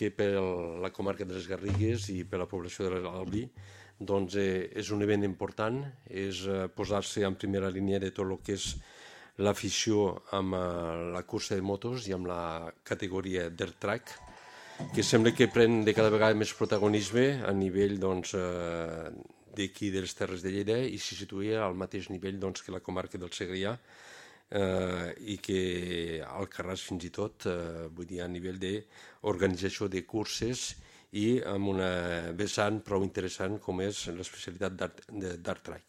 que per la comarca de les Garrigues i per la població de l'Albi doncs, és un event important, és posar-se en primera línia de tot el que és l'afició amb la cursa de motos i amb la categoria dirt track, que sembla que pren de cada vegada més protagonisme a nivell doncs, d'aquí de les Terres de Lleida i se situa al mateix nivell doncs, que la comarca del Segrià i que Alcarràs fins i tot, vull dir, a nivell d'organització de curses i amb una vessant prou interessant com és l'especialitat d'art track.